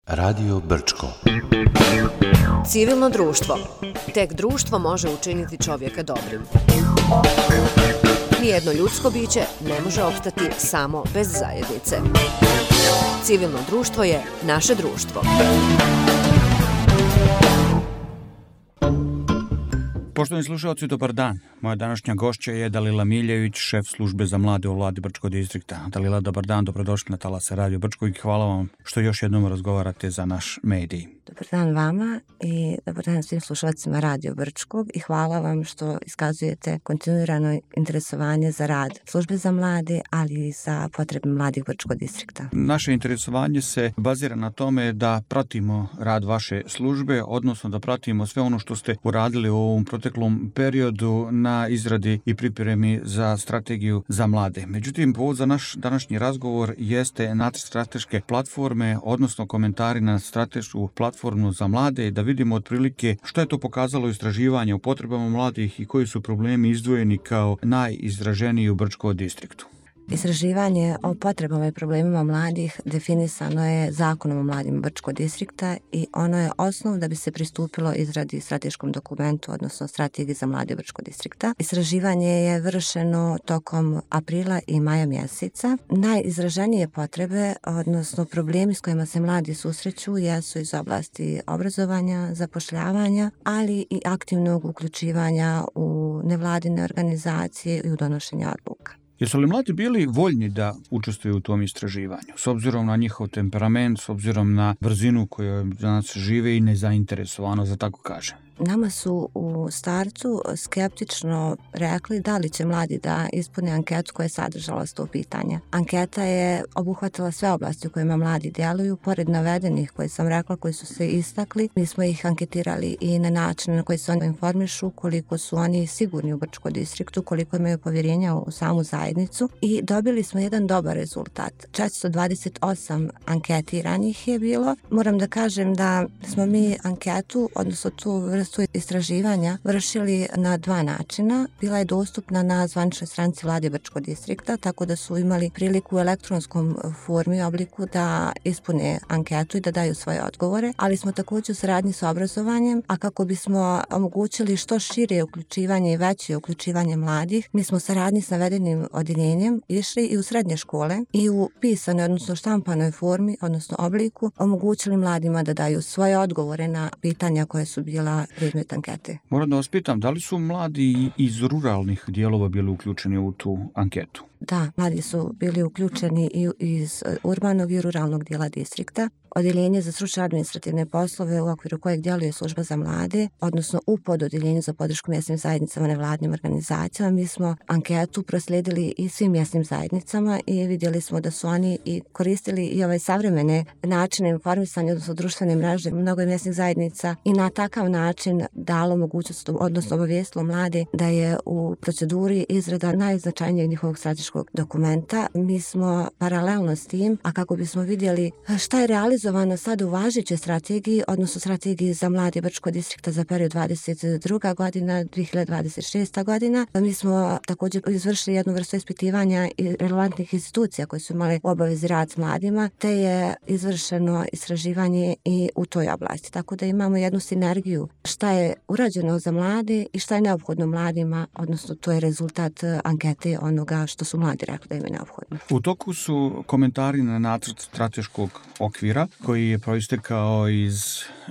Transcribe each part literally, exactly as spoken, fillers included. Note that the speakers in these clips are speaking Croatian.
Radio Brčko. Civilno društvo. Tek društvo može učiniti čovjeka dobrim. Nijedno ljudsko biće ne može opstati samo bez zajednice. Civilno društvo je naše društvo. Poštovani slušalci, dobar dan. Moja današnja gošća je Dalila Miljević, šef službe za mlade u vladi Brčkog distrikta. Dalila, dobar dan, dobrodošli na talase Radio Brčko i hvala vam što još jednom razgovarate za naš medij. Dobar dan vama i dobar dan svim slušalcima Radio Brčkog i hvala vam što iskazujete kontinuirano interesovanje za rad službe za mlade, ali i za potrebe mladih Brčkog distrikta. Naše interesovanje se bazira na tome da pratimo rad vaše službe, odnosno da pratimo sve ono što ste uradili u ovom proteklom periodu na izradi i pripremi za strategiju za mlade. Međutim, povod za naš današnji razgovor jeste nacrt strateške platforme, odnosno komentari na stratešku platformu za mlade, da vidimo otprilike što je to pokazalo istraživanje u potrebama mladih i koji su problemi izdvojeni kao najizraženiji u Brčkom distriktu. Istraživanje o potrebama i problemima mladih definisano je Zakonom o mladima Brčkog distrikta i ono je osnov da bi se pristupilo izradi strateškom dokumentu, odnosno strategiji za mlade Brčkog distrikta. Istraživanje je vršeno tokom aprila i maja mjeseca. Najizraženije potrebe, odnosno problemi s kojima se mladi susreću, jesu iz oblasti obrazovanja, zapošljavanja, ali i aktivnog uključivanja u nevladine organizacije i u donošenje odluka. Jesu li mladi bili voljni da učestvuju u tom istraživanju, s obzirom na njihov temperament, s obzirom na brzinu koju danas žive i nezainteresovano, za tako kažem? Nama su u startu skeptično rekli da li će mladi da ispune anketu koja je sadržala sto pitanja. Anketa je obuhvatila sve oblasti u kojima mladi djeluju, pored navedenih koje sam rekla, koji su se istakli. Mi smo ih anketirali i na način na koji se oni informišu, koliko su oni sigurni u Brčkom distriktu, koliko imaju povjerenja u samu zajednicu i dobili smo jedan dobar rezultat. četiristo dvadeset osam anketiranih je bilo. Moram da kažem da smo mi anketu, odnosno tu vrstu istraživanja vršili na dva načina. Bila je dostupna na zvaničnoj stranici vlade Brčkog distrikta, tako da su imali priliku u elektronskom formi i obliku da ispune anketu i da daju svoje odgovore, ali smo također u saradnji sa obrazovanjem, a kako bismo omogućili što šire uključivanje i veće uključivanje mladih, mi smo u saradnji s navedenim odjeljenjem išli i u srednje škole i u pisanoj, odnosno štampanoj formi, odnosno obliku, omogućili mladima da daju svoje odgovore na pitanja koje su bila predmet ankete. Moram da vas pitam, da li su mladi iz ruralnih dijelova bili uključeni u tu anketu? Da, mladi su bili uključeni i iz urbanog i ruralnog dijela distrikta. Odjeljenje za stručne administrativne poslove u okviru kojeg djeluje služba za mlade, odnosno u pododjeljenju za podršku mjesnim zajednicama nevladnim organizacijama, mi smo anketu proslijedili i svim mjesnim zajednicama i vidjeli smo da su oni i koristili i ovaj savremene načine informisanja, odnosno društvene mreže mnogo mjesnih zajednica i na takav način dalo mogućnost, odnosno obavijestilo mlade da je u proceduri izrada najznačajnijeg njihovog strateškog dokumenta. Mi smo paralelno s tim, a kako bismo vidjeli šta je realizovano sad u važećoj strategiji, odnosno strategiji za mlade Brčkog distrikta za period dvadeset druga godina do dvije hiljade dvadeset šesta godina. Mi smo također izvršili jednu vrstu ispitivanja i relevantnih institucija koje su imale u obavezi rad s mladima, te je izvršeno istraživanje i u toj oblasti. Tako da imamo jednu sinergiju šta je urađeno za mlade i šta je neophodno mladima, odnosno to je rezultat ankete onoga što su mladi rekli da im je neophodno. U toku su komentari na nacrt strateškog okvira koji je proistekao iz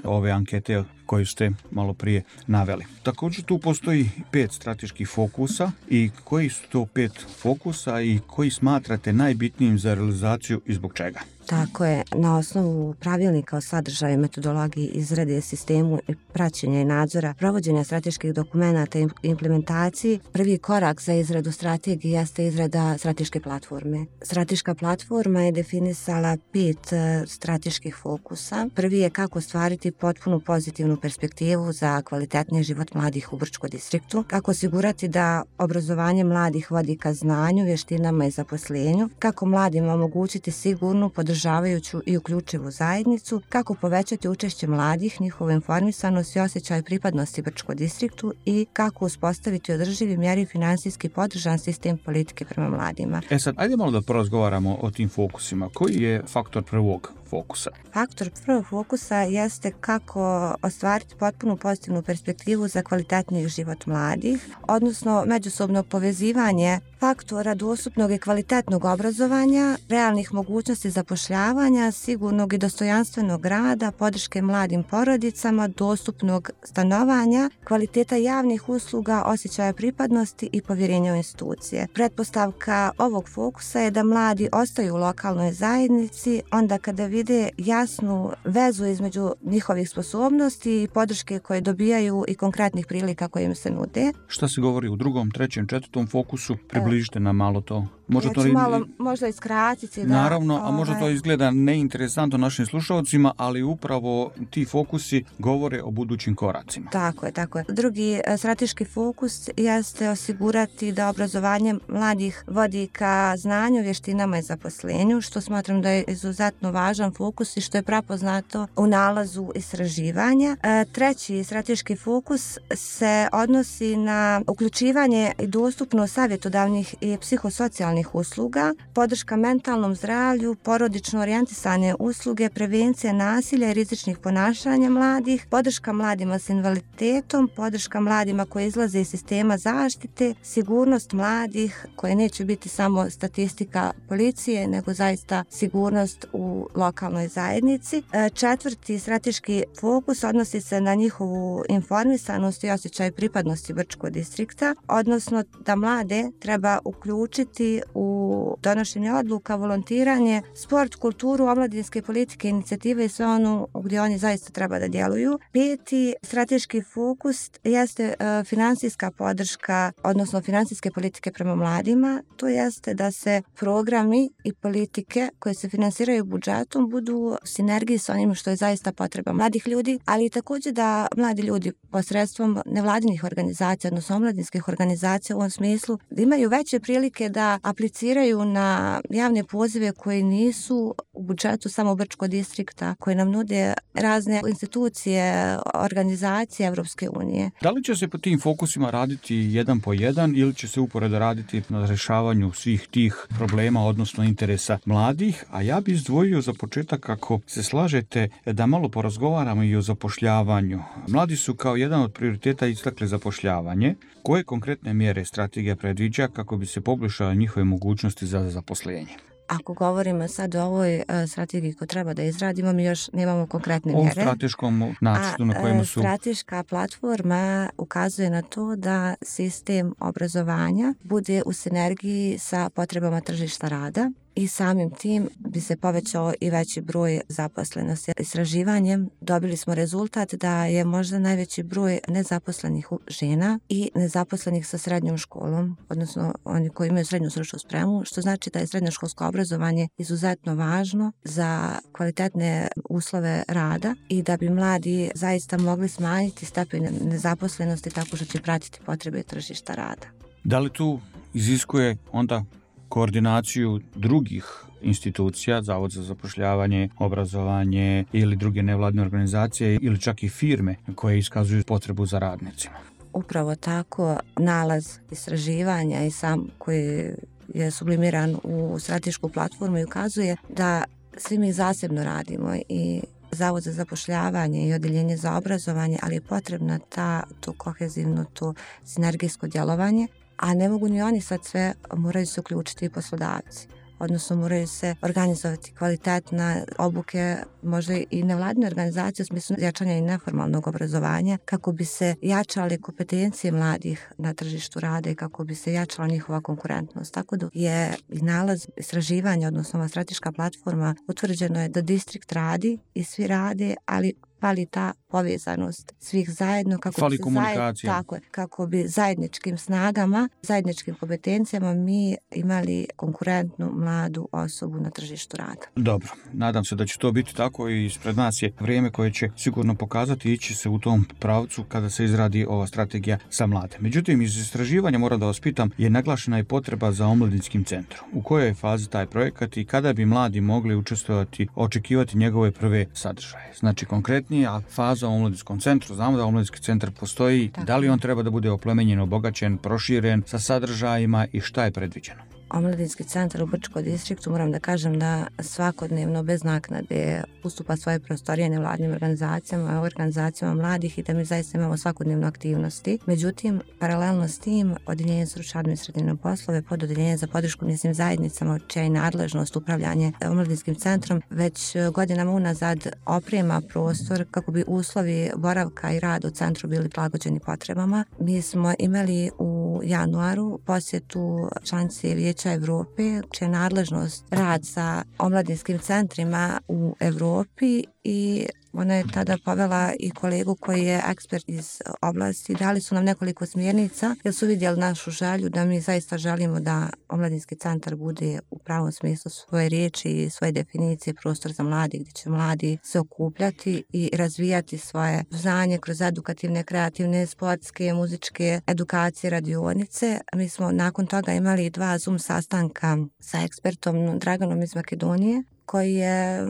ove ankete koju ste malo prije naveli. Također tu postoji pet strateških fokusa i koji su to pet fokusa i koji smatrate najbitnijim za realizaciju i zbog čega? Tako je, na osnovu pravilnika o sadržaju, metodologiji, izrade, sistemu i praćenja i nadzora, provođenja strateških dokumenata i implementaciji, prvi korak za izradu strategije jeste izrada strateške platforme. Strateška platforma je definisala pet strateških fokusa. Prvi je kako ostvariti potpunu pozitivnu perspektivu za kvalitetniji život mladih u Brčkom distriktu, kako osigurati da obrazovanje mladih vodi ka znanju, vještinama i zaposlenju, kako mladima omogućiti sigurnu, podržavajuću i uključivu zajednicu, kako povećati učešće mladih, njihovu informisanost i osjećaj pripadnosti Brčkom distriktu i kako uspostaviti održivi mjeri finansijski podržan sistem politike prema mladima. E sad, ajde malo da porazgovaramo o tim fokusima. Koji je faktor prvog fokusa? Faktor prvog fokusa jeste kako ostvariti potpunu pozitivnu perspektivu za kvalitetniji život mladih, odnosno međusobno povezivanje faktora dostupnog i kvalitetnog obrazovanja, realnih mogućnosti zapošljavanja, sigurnog i dostojanstvenog rada, podrške mladim porodicama, dostupnog stanovanja, kvaliteta javnih usluga, osjećaja pripadnosti i povjerenja u institucije. Pretpostavka ovog fokusa je da mladi ostaju u lokalnoj zajednici onda kada vide jasnu vezu između njihovih sposobnosti i podrške koje dobijaju i konkretnih prilika koje im se nude. Šta se govori u drugom, trećem, četvrtom fokusu? Približite nam malo to. Može ja ću to malo možda iskratiti. Da, naravno, a možda ovaj... to izgleda neinteresantno našim slušalcima, ali upravo ti fokusi govore o budućim koracima. Tako je, tako je. Drugi strateški fokus jeste osigurati da obrazovanje mladih vodi ka znanju, vještinama i zaposlenju, što smatram da je izuzetno važan fokus i što je prepoznato u nalazu istraživanja. Treći strateški fokus se odnosi na uključivanje i dostupnost savjetodavnih i psihosocijalnih usluga, podrška mentalnom zdravlju, porodično orijentisane usluge, prevencija nasilja i rizičnih ponašanja mladih, podrška mladima s invaliditetom, podrška mladima koji izlaze iz sistema zaštite, sigurnost mladih koje neće biti samo statistika policije, nego zaista sigurnost u lokalnoj zajednici. Četvrti strateški fokus odnosi se na njihovu informisanost i osjećaj pripadnosti Brčkog distrikta, odnosno da mlade treba uključiti u donošenje odluka, volontiranje, sport, kulturu, omladinske politike, inicijative i sve ono gdje oni zaista treba da djeluju. Peti strateški fokus jeste uh, finansijska podrška, odnosno finansijske politike prema mladima. To jeste da se programi i politike koje se finansiraju budžetom budu u sinergiji sa onim što je zaista potreba mladih ljudi, ali i također da mladi ljudi posredstvom nevladinih organizacija, odnosno omladinskih organizacija u ovom smislu, da imaju veće prilike da apliciraju na javne pozive koji nisu u budžetu samo Brčkog distrikta, koji nam nude razne institucije, organizacije Evropske unije. Da li će se po tim fokusima raditi jedan po jedan ili će se uporedo raditi na rješavanju svih tih problema, odnosno interesa mladih? A ja bih izdvojio za početak, ako se slažete, da malo porazgovaramo i o zapošljavanju. Mladi su kao jedan od prioriteta istakli zapošljavanje. Koje konkretne mjere strategija predviđa kako bi se poboljšala njihove mogućnosti za zaposlenje? Ako govorimo sad o ovoj uh, strategiji koju treba da izradimo, mi još nemamo konkretne o mjere. O strateškom nacrtu na kojima su... Strateška platforma ukazuje na to da sistem obrazovanja bude u sinergiji sa potrebama tržišta rada i samim tim bi se povećao i veći broj zaposlenosti. Istraživanjem dobili smo rezultat da je možda najveći broj nezaposlenih žena i nezaposlenih sa srednjom školom, odnosno oni koji imaju srednju stručnu spremu, što znači da je srednjoškolsko obrazovanje izuzetno važno za kvalitetne uslove rada i da bi mladi zaista mogli smanjiti stepen nezaposlenosti tako što će pratiti potrebe tržišta rada. Da li tu iziskuje onda koordinaciju drugih institucija, Zavod za zapošljavanje, obrazovanje ili druge nevladine organizacije ili čak i firme koje iskazuju potrebu za radnicima? Upravo tako, nalaz istraživanja i sam koji je sublimiran u stratešku platformu i ukazuje da svi mi zasebno radimo i Zavod za zapošljavanje i Odeljenje za obrazovanje, ali je potrebna ta, to kohezivno, to sinergijsko djelovanje. A ne mogu ni oni sad sve, moraju se uključiti i poslodavci. Odnosno moraju se organizovati kvalitetna obuke, možda i nevladine organizacije u smislu jačanja i neformalnog obrazovanja kako bi se jačale kompetencije mladih na tržištu rada i kako bi se jačala njihova konkurentnost. Tako da je i nalaz istraživanja, odnosno ova strateška platforma, utvrđeno je da distrikt radi i svi rade, ali fali ta povezanost svih zajedno kako fali bi, komunikacija. Zajed, tako, kako bi zajedničkim snagama, zajedničkim kompetencijama mi imali konkurentnu mladu osobu na tržištu rada. Dobro, nadam se da će to biti tako i ispred nas je vrijeme koje će sigurno pokazati ići se u tom pravcu kada se izradi ova strategija za mlade. Međutim, iz istraživanja moram da vas pitam, je naglašena i potreba za omladinskim centrom. U kojoj je fazi taj projekat i kada bi mladi mogli učestvovati, očekivati njegove prve sadržaje? Znači, konkretnije, a faza u omladinskom centru, znamo da omladinski centar postoji, tako. Da li on treba da bude oplemenjen, obogaćen, proširen sa sadržajima i šta je predviđeno? Omladinski centar u Brčkom distriktu, moram da kažem da svakodnevno bez naknade ustupa svoje prostorije nevladnim organizacijama, organizacijama mladih i da mi zaista imamo svakodnevno aktivnosti. Međutim, paralelno s tim, Odeljenje za stručne administrativne poslove, Pododeljenje za podršku mjesnim zajednicama, čija je nadležnost upravljanje Omladinskim centrom, već godinama unazad oprema prostor kako bi uslovi boravka i rada u centru bili prilagođeni potrebama. Mi smo imali u januaru posjetu članice Vijeća Evrope, čija je nadležnost rad sa omladinskim centrima u Evropi i ona je tada povela i kolegu koji je ekspert iz oblasti. Dali su nam nekoliko smjernica jer su vidjeli našu želju da mi zaista želimo da Omladinski centar bude u pravom smislu svoje riječi i svoje definicije prostor za mladi gdje će mladi se okupljati i razvijati svoje znanje kroz edukativne, kreativne, sportske, muzičke edukacije, radionice. Mi smo nakon toga imali dva Zoom sastanka sa ekspertom Draganom iz Makedonije koji je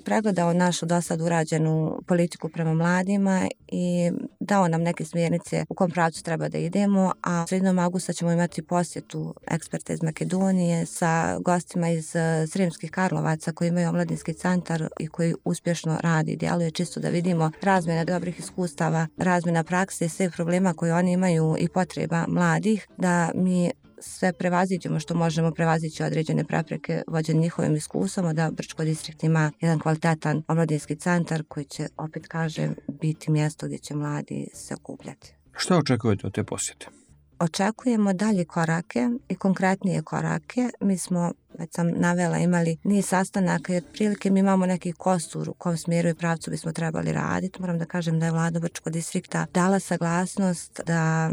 pregledao našu do sad urađenu politiku prema mladima i dao nam neke smjernice u kom pravcu treba da idemo, a sredinom augusta ćemo imati posjetu eksperta iz Makedonije sa gostima iz Sremskih Karlovaca koji imaju omladinski centar i koji uspješno radi i djeluje, čisto da vidimo razmjena dobrih iskustava, razmjena prakse i sve problema koje oni imaju i potreba mladih, da mi sve prevaziđemo što možemo prevazići određene prepreke vođen njihovim iskustvom, da Brčko distrikt ima jedan kvalitetan omladinski centar koji će, opet kažem, biti mjesto gdje će mladi se okupljati. Što očekujete od te posjete? Očekujemo dalje korake i konkretnije korake. Mi smo, već sam navela, imali niz sastanaka i otprilike mi imamo neki kostur u kom smjeru i pravcu bismo trebali raditi. Moram da kažem da je vlada Brčkog distrikta dala saglasnost da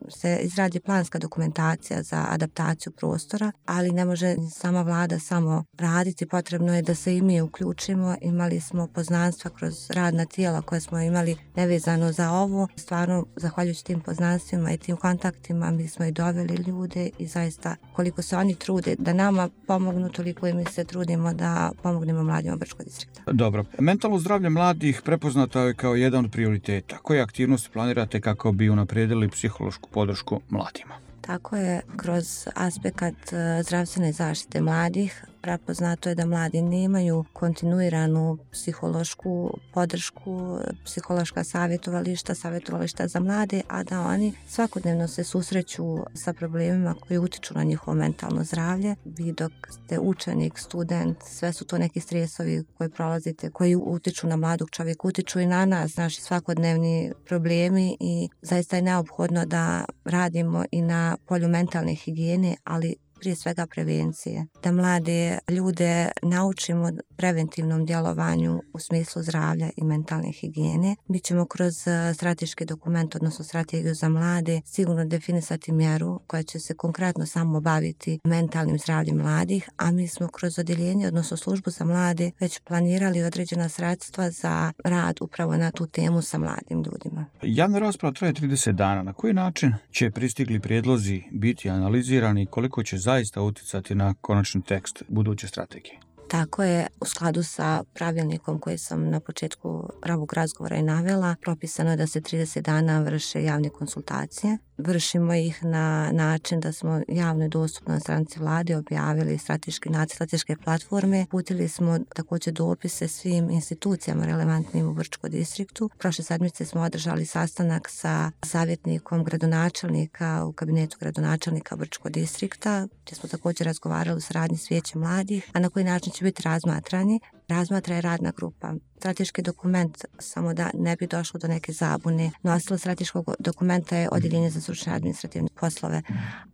se izradi planska dokumentacija za adaptaciju prostora, ali ne može sama vlada samo raditi, potrebno je da se i mi uključimo. Imali smo poznanstva kroz radna tijela koje smo imali nevezano za ovo. Stvarno, zahvaljujući tim poznanstvima i tim kontaktima, mi smo i doveli ljude i zaista koliko se oni trude da nama pomognu, toliko i mi se trudimo da pomognemo mladima Brčkog distrikta. Dobro. Mentalno zdravlje mladih prepoznato je kao jedan od prioriteta. Koje aktivnosti planirate kako bi unaprijedili psihološku podršku mladima? Tako je, kroz aspekt zdravstvene zaštite mladih prepoznato je da mladi nemaju kontinuiranu psihološku podršku, psihološka savjetovališta, savjetovališta za mlade, a da oni svakodnevno se susreću sa problemima koji utiču na njihovo mentalno zdravlje. Vi dok ste učenik, student, sve su to neki stresovi koji prolazite, koji utiču na mladog čovjeka, utiču i na nas, naši svakodnevni problemi i zaista je neophodno da radimo i na polju mentalne higijene, ali prije svega prevencije. Da mlade ljude naučimo preventivnom djelovanju u smislu zdravlja i mentalne higijene. Mi ćemo kroz strateški dokument, odnosno strategiju za mlade, sigurno definisati mjeru koja će se konkretno samo baviti mentalnim zdravljem mladih, a mi smo kroz odjeljenje, odnosno službu za mlade, već planirali određena sredstva za rad upravo na tu temu sa mladim ljudima. Javna rasprava traje trideset dana. Na koji način će pristigli prijedlozi biti analizirani i koliko će zaista utjecati na konačni tekst buduće strategije? Tako je, u skladu sa pravilnikom koji sam na početku pravog razgovora i navela, propisano je da se trideset dana vrše javne konsultacije. Vršimo ih na način da smo javno i dostupno na stranici vlade objavili strateški nacrt strateške platforme. Uputili smo također dopise svim institucijama relevantnim u Brčkom distriktu. Prošle sedmice smo održali sastanak sa savjetnikom gradonačelnika u kabinetu gradonačelnika Brčkog distrikta, gdje smo također razgovarali u saradnji s Vijećem mladih, a na koji način će biti razmatrani. Razmatra je radna grupa. Strateški dokument, samo da ne bi došlo do neke zabune, nosilo strateškog dokumenta je Odeljenje za stručne administrativne poslove,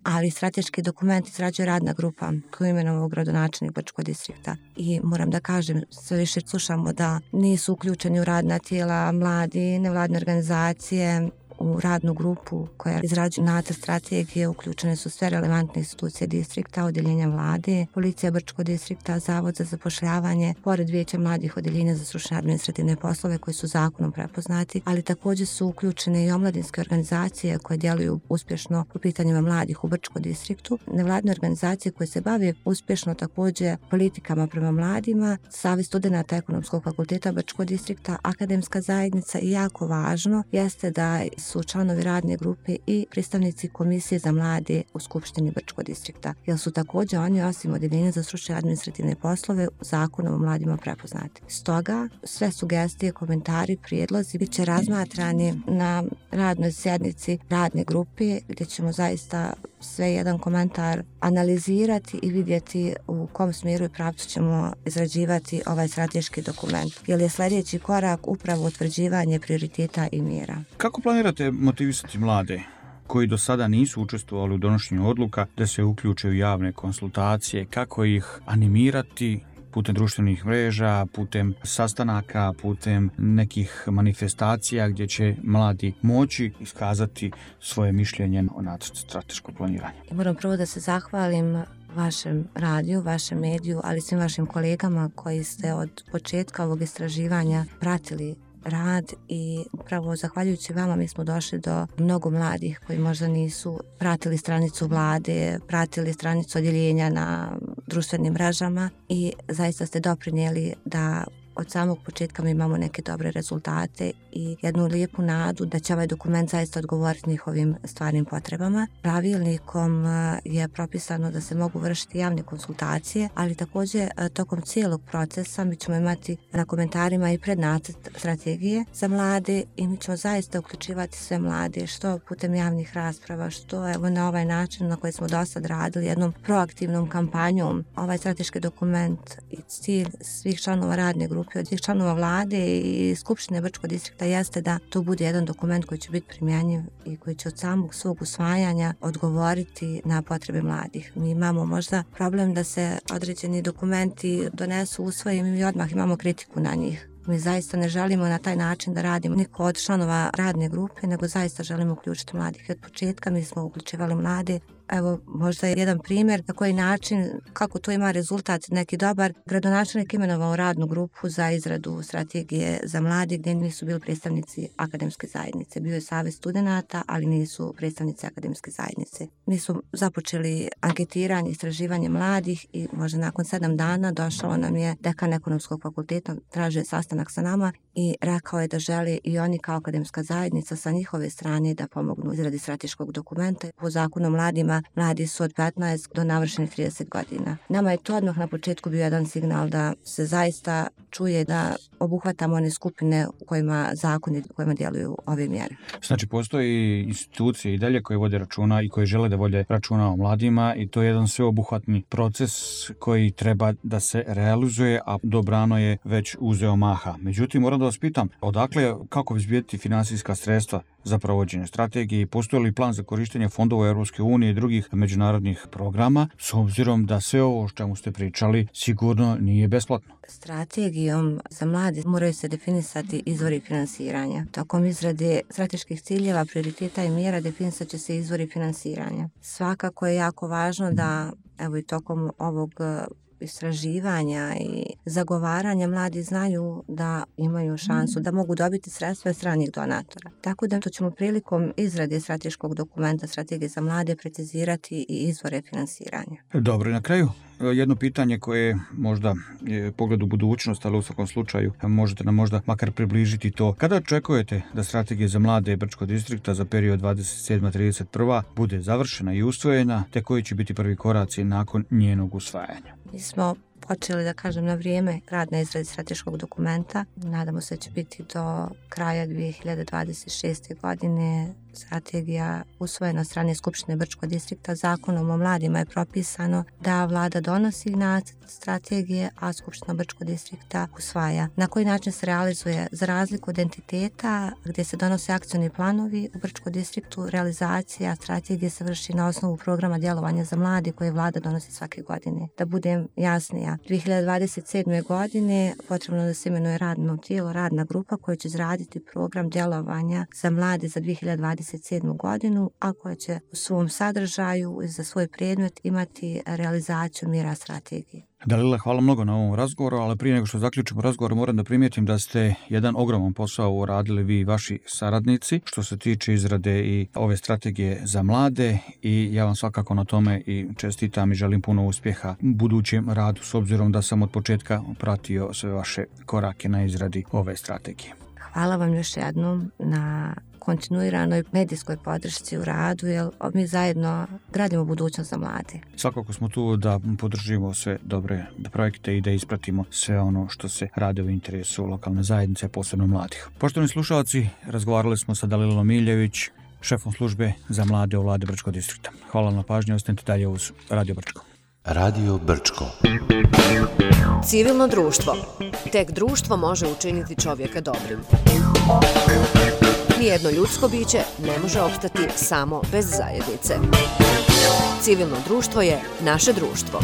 ali strateški dokument izrađuje radna grupa koju imenovao gradonačelnik Brčkog distrikta. I moram da kažem, sve više slušamo da nisu uključeni u radna tijela mladi, nevladne organizacije. U radnu grupu koja izrađuje nacrt strategije uključene su sve relevantne institucije distrikta, odjeljenja vlade, policija Brčkog distrikta, zavod za zapošljavanje, pored Vijeća mladih, odjeljenja za stručne administrativne poslove koji su zakonom prepoznati, ali također su uključene i omladinske organizacije koje djeluju uspješno po pitanjima mladih u Brčkom distriktu, nevladne organizacije koje se bave uspješno također politikama prema mladima, Savez studenata Ekonomskog fakulteta Brčkog distrikta, akademska zajednica i jako važno jeste da su članovi radne grupe i predstavnici Komisije za mlade u Skupštini Brčkog distrikta, jer su također oni osim Odeljenja za stručne i administrativne poslove Zakonom o mladima prepoznati. Stoga sve sugestije, komentari, prijedlozi bit će razmatrani na radnoj sjednici radne grupe gdje ćemo zaista sve jedan komentar analizirati i vidjeti u kom smjeru i pravcu ćemo izrađivati ovaj strateški dokument. Jer je sljedeći korak upravo utvrđivanje prioriteta i mjera. Kako planirate motivisati mlade koji do sada nisu učestvovali u donošenju odluka da se uključe u javne konsultacije, kako ih animirati putem društvenih mreža, putem sastanaka, putem nekih manifestacija gdje će mladi moći iskazati svoje mišljenje o nacrtu strateškog planiranja? Moram prvo da se zahvalim vašem radiju, vašem mediju, ali svim vašim kolegama koji ste od početka ovog istraživanja pratili rad i upravo zahvaljujući vama mi smo došli do mnogo mladih koji možda nisu pratili stranicu vlade, pratili stranicu odjeljenja na društvenim mrežama i zaista ste doprinijeli da od samog početka mi imamo neke dobre rezultate i jednu lijepu nadu da će ovaj dokument zaista odgovoriti njihovim stvarnim potrebama. Pravilnikom je propisano da se mogu vršiti javne konsultacije, ali također tokom cijelog procesa mi ćemo imati na komentarima i prednacrt strategije za mlade i mi ćemo zaista uključivati sve mlade, što putem javnih rasprava, što evo na ovaj način na koji smo do sad radili, jednom proaktivnom kampanjom. Ovaj strateški dokument i cilj svih članova radne grupe od svih članova vlade i Skupštine Brčkog distrikta jeste da to bude jedan dokument koji će biti primjenjiv i koji će od samog svog usvajanja odgovoriti na potrebe mladih. Mi imamo možda problem da se određeni dokumenti donesu, usvoje i mi odmah imamo kritiku na njih. Mi zaista ne želimo na taj način da radimo niko od članova radne grupe, nego zaista želimo uključiti mladih. Od početka mi smo uključivali mlade. Evo, možda je jedan primjer na koji način, kako to ima rezultat neki dobar. Gradonačelnik imenovao radnu grupu za izradu strategije za mlade gdje nisu bili predstavnici akademske zajednice. Bio je savez studenata, ali nisu predstavnici akademske zajednice. Mi smo započeli anketiranje, istraživanje mladih i možda nakon sedam dana došao nam je dekan ekonomskog fakulteta, tražio je sastanak sa nama i rekao je da žele i oni kao akademska zajednica sa njihove strane da pomognu izradi strateškog dokumenta. Po zakonu o mladima mladi su od petnaest do navršenih trideset godina. Nama je to odmah na početku bio jedan signal da se zaista čuje da obuhvatamo one skupine u kojima zakoni u kojima djeluju ove mjere. Znači, postoji institucije i dalje koje vode računa i koje žele da vode računa o mladima i to je jedan sveobuhvatni proces koji treba da se realizuje, a dobrano je već uzeo maha. Međutim, moram da vas pitam, odakle, kako obezbijediti finansijska sredstva za provođenje strategije i postoji li plan za korištenje fondova Europske unije i drugih međunarodnih programa, s obzirom da sve ovo o čemu ste pričali sigurno nije besplatno? Strategijom za mlade moraju se definisati izvori finansiranja. Tokom izrade strateških ciljeva, prioriteta i mjera definisat će se izvori finansiranja. Svakako je jako važno da, evo i tokom ovog istraživanja i zagovaranja mladi znaju da imaju šansu da mogu dobiti sredstva od stranih donatora. Tako da to ćemo prilikom izrade strateškog dokumenta strategije za mlade precizirati i izvore finansiranja. Dobro, na kraju jedno pitanje koje možda je pogled u budućnost, ali u svakom slučaju možete nam možda makar približiti to. Kada očekujete da strategija za mlade Brčkog distrikta za period dvadeset sedma do trideset prva bude završena i usvojena, te koji će biti prvi koraci nakon njenog usvajanja? Mi smo počeli, da kažem, na vrijeme rad na izradi strateškog dokumenta. Nadamo se da će biti do kraja dvije hiljade dvadeset šeste. godine strategija usvojena od strane Skupštine Brčkog distrikta. Zakonom o mladima je propisano da vlada donosi nacrt strategije, a Skupština Brčkog distrikta usvaja. Na koji način se realizuje? Za razliku od entiteta gdje se donose akcioni planovi, u Brčkom distriktu realizacija strategije se vrši na osnovu programa djelovanja za mlade koje vlada donosi svake godine. Da budem jasnija, dvije hiljade dvadeset sedme. godine potrebno da se imenuje radno tijelo, radna grupa koja će izraditi program djelovanja za mlade za dvije hiljade dvadeset sedmu. godinu, a koja će u svom sadržaju i za svoj predmet imati realizaciju mjera strategije. Dalila, hvala mnogo na ovom razgovoru, ali prije nego što zaključimo razgovor moram da primijetim da ste jedan ogroman posao uradili vi i vaši saradnici što se tiče izrade i ove strategije za mlade i ja vam svakako na tome i čestitam i želim puno uspjeha u budućem radu s obzirom da sam od početka pratio sve vaše korake na izradi ove strategije. Hvala vam još jednom na kontinuiranoj medijskoj podršci u radu, jer mi zajedno gradimo budućnost za mlade. Svakako smo tu da podržimo sve dobre projekte i da ispratimo sve ono što se radi u interesu lokalne zajednice, posebno mladih. Poštovani slušalci, razgovarali smo sa Dalilom Miljević, šefom službe za mlade u vladi Brčkog distrikta. Hvala na pažnji, ostanite dalje uz Radio Brčko. Radio Brčko. Civilno društvo. Tek društvo može učiniti čovjeka dobrim. Nijedno ljudsko biće ne može opstati samo bez zajednice. Civilno društvo je naše društvo.